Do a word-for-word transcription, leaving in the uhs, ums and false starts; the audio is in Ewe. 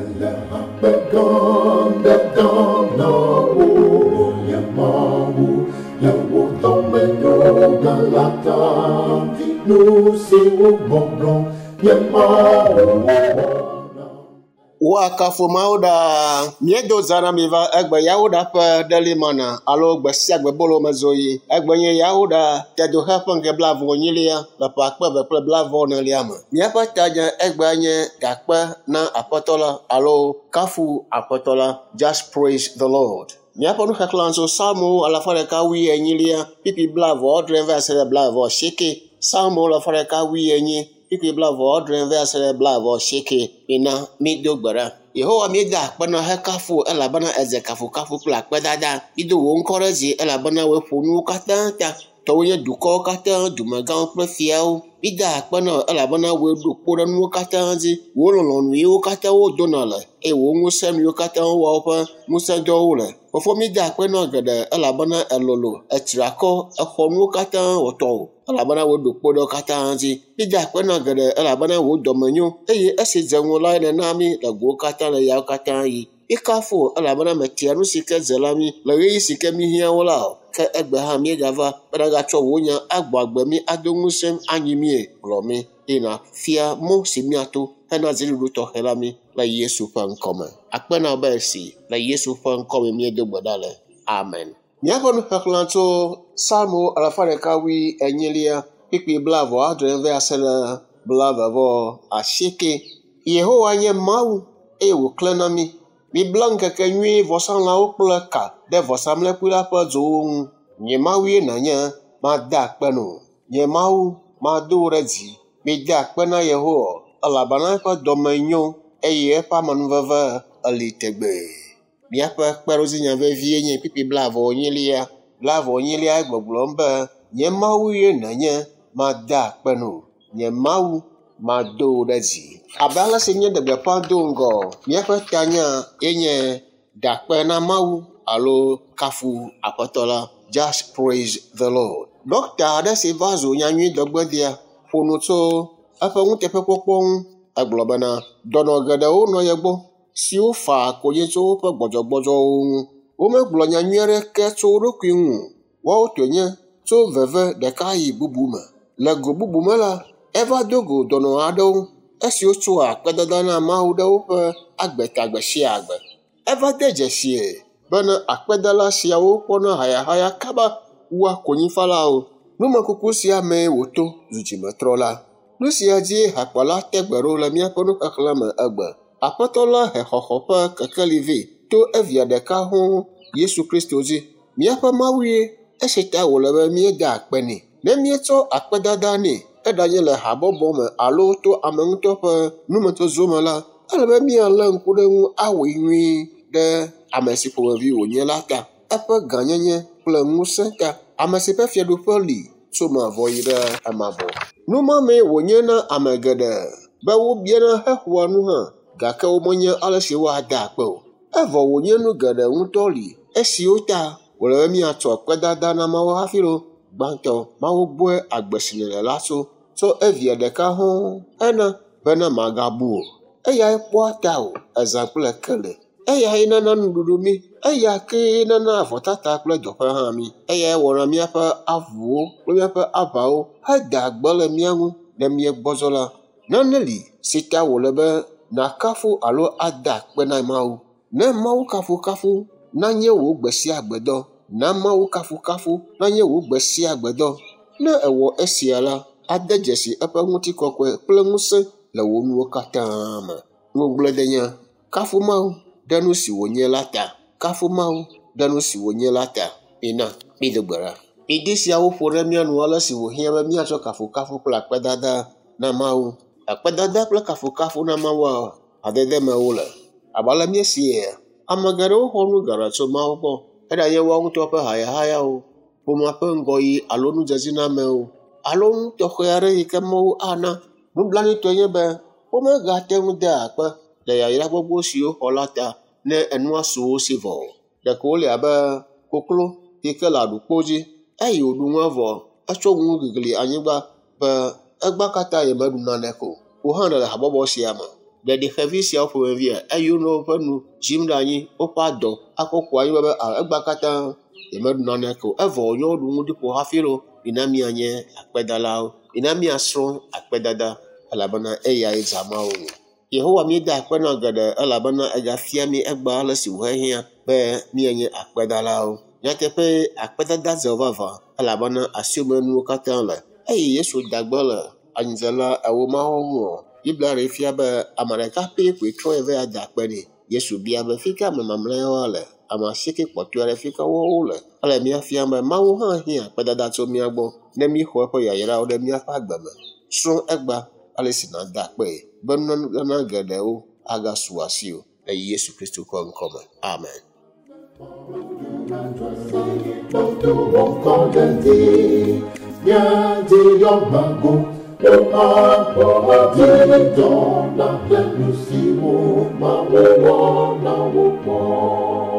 Mele akpe gã ɖe dam na wò, nye Mawu, le wò dɔmenyo gã la ta. Nu siwo gbɔgblɔ nye Mawu wɔ na. Woakafu Mawu ɖaa. Míedo zã na mi va egbe Yawoɖa ƒe ɖelimana alo gbe sia gbe bolo mezoyi. Egbe nye Yawoɖa tedoxe ƒe ŋkeke blaeve enyilia le ƒe akpe eve kple blaeve enelia me. Míaƒe tadze egbea nye dakpe na Aƒetɔ la alo kafu Aƒetɔ la. Just praise the Lord. Míaƒe nuxexlẽ tso Psalmo alafa ɖeka wui enyilia kpukpui blaeve adre va se ɖe blaeve asieke. Psalmo alafa ɖeka wui enyi kpukpui blaeve adre va se ɖe blaeve asieke. Mina mído gbe ɖa. Yehowa míeda akpe na hekafu elabena edze kafukafu kple akpedada. Mído wò ŋkɔ ɖe dzi elabena wòe ƒo nuwo katã ta. Tɔwòe nye dukɔwo katã, dumegãwo kple fiawo. Mída akpe na wò elabena wòe ɖo kpo ɖe nuwo katã dzi. Wò lɔlɔ̃nu yiwo katã wodona le eye wò ŋusẽ nu yiwo katã wowɔa woƒe ŋusẽdɔwo le. Fofo mída akpe na wò geɖe elabena elolo, ètra akɔ, exɔ nuwo katã wɔ tɔwò elabena wòe ɖo kpo ɖe wo katã dzi. Mída akpe na wò geɖe elabena wò dɔme nyo eye esi dze ŋu lae nèna mí le gowo katã le yawo katã yi. Míekafu wò elabena mètia nu si ke dze la mí le ɣeyiɣi si ke míhiã wo la o. Ke egbe hã míegava be nàgatsɔ wò nya agbɔ agbe mí, ado ŋusẽ anyi míe, kplɔ mí eye nàfia mɔ si míato hena dziɖuɖu tɔxɛ la mí le Yesu ƒe ŋkɔme. Akpe na wò be esi le Yesu ƒe ŋkɔme míedo gbe ɖa le. Amen. Míaƒe nuxexlẽ tso Psalmo alafa ɖeka wui enyilia kpukpui blaeve adre va se ɖe blaeve vɔ asieke. Yehowa nye Mawu eye wòklẽ na mí. Mibla ŋkeke nyui vɔsalãwo kple ka ɖe vɔsamlekpui la ƒe dzowo ŋu. Nye Mawue nànye, made akpe na wò. Nye Mawu, mado wò ɖe dzi. Mide akpe na Yehowa elabena eƒe dɔme nyo eye eƒe amenuveve eli tegbee. Míaƒe kpeɖodzinya vevie nye kpukpui blaeve enyilia. Blaeve enyilia gbɔgblɔm be nye Mawue nànye, made akpe na wò. Nye Mawu, mado wò ɖe dzi. Abe ale si míeɖe gbeƒã do ŋgɔ, míaƒe tanya ye nye dakpe na Mawu alo kafu Aƒetɔ la. Just praise the Lord. Ɖɔkta aɖe si va zu nyanyuidɔgbedea ƒo nu tso eƒe nuteƒekpɔkpɔ ŋu. Egblɔ bena dɔnɔ geɖewo nɔ ye gbɔ siwo faa konyi tso woƒe gbɔdzɔgbɔdzɔwo ŋu. Womegblɔ nyanyui aɖeke tso wo ɖokui ŋu o. Woawo tɔe nye tso veve ɖeka yi bubu me. Le go bubu me la, eva do go dɔnɔ aɖewo esiwo tsoa akpedada na Mawu ɖe woƒe agbe ta gbe sia agbe. Eva de dzesie bena akpedala siawo kpɔna hayahaya kaba wua konyifalawo. Numekuku sia mee wòto zu dzimetrɔla. Nu sia dzie hakpala te gbe ɖo le míaƒe nuxexlẽ me egbe. Aƒetɔ la he xɔxɔ ƒe kekeli vɛ to evia ɖeka hɔ̃ Yesu Kristo dzi. Míaƒe Mawue esi ta wòle be míeda akpe nɛ. Ne míetsɔ akpedada nɛ, eɖanye le habɔbɔ me alo to ame ŋutɔ ƒe numetozo me la, ele be míalé ŋku ɖe eŋu awɔe nyuie ɖe ame si ƒomevi wònye la ta, eƒe gãnyenye kple ŋusẽ ta, ame si ƒe fiaɖuƒe li tso mavɔ yi ɖe emavɔ. Nu ma mee wònye na ame geɖe be wobiana hexɔa nu hã gake womenye ale si woada akpe o. Evɔ wònye nu geɖe ŋutɔ li esiwo ta wòle be míatsɔ akpedada na Mawu hafi lo. Gbãtɔ, Mawu gbɔe agbe si nèle la tso, tso evia ɖeka hɔ̃ hena bena màgabu o. Eyae kpɔa tawò ezã kple kele. Eyae nana nuɖuɖu mí. Eya kee nana avɔtata kple dɔƒe hã mí. Eyae wɔna míaƒe avuwo kple míaƒe aʋawo hedaa gbe le mía ŋu ne míegbɔdzɔ la. Nane li si ta wòle be nàkafu alo ada akpe na Mawu. Ne Mawu kafukafu nanye wò gbe sia gbe dɔ. Na Mawu kafukafu nanye wò gbe sia gbe dɔ. Ne èwɔ esia la, ade dzesi eƒe ŋutikɔkɔe kple ŋusẽ le wò nuwo katã me. Ŋugbledenya, kafu Mawu ɖe nu si wònye la ta. Kafu Mawu ɖe nu si wònye la ta. Mina mído gbe ɖa. Ŋdi siawo ƒo ɖe mía nu ale si wòhiã be míatsɔ kafukafu kple akpedada na Mawu. Akpedada kple kafukafu na Mawua hadede me wole. Abe ale míesie, ame geɖewo xɔ nu geɖe tso Mawu gbɔ. Eɖanye woawo ŋutɔ ƒe hayahayawo, ƒomea ƒe ŋgɔyiyi alo nudzedzinamewo alo nu tɔxɛ aɖe yi ke Mawu ana. Nublanuitɔe nye be womegate ŋu dea akpe le yayra gbogbo siwo xɔ la ta ne enua su wo si vɔ o. Ɖeko wole abe koklo yi ke le aɖukpo dzi eye wòɖu nua vɔ etsɔ nu gigli anyigba be egbea katã yemeɖu naneke o. Wò hã nèle habɔbɔ sia me. Ɖeɖi xevi siawo ƒomevia eye wonɔ woƒe nu dzim ɖe anyi, woƒe adɔ akɔ ku anyi be egbea katã yemeɖu naneke o. Evɔ wònye woɖu nu ɖi ƒo hafi loo. Mina míanye akpedalawo. Mina míasrɔ̃ akpedada elabena eyae dza Mawu ŋu. Yehowa míeda akpe na geɖe elabena egafia mí egbea ale si wòhehiã be míanye akpedalawo. Nyateƒe akpedada dze vavã elabena asiwòmenuwo katã le. Eye Yesu da gbe le anyidzela ewo mawo ŋu. Biblia ɖee fia be ame ɖeka pɛ koe trɔ yi va ya da akpe nɛ. Yesu bia be fi ka ame mamlɛawo le? Ame asieke kpɔtɔe ɖe fi ka woawo le? Ele mía fiam be Mawu hã hiã akpedada tso mía gbɔ ne míxɔ eƒe yayrawo ɖe míaƒe agbe me. Srɔ̃ egbea ale si nàda akpee be nunana geɖewo agasu asiwò le Yesu Kristo ƒe ŋkɔme. Amen. Dɔ na kple nu siwo Mawu wɔ na wo kpɔ.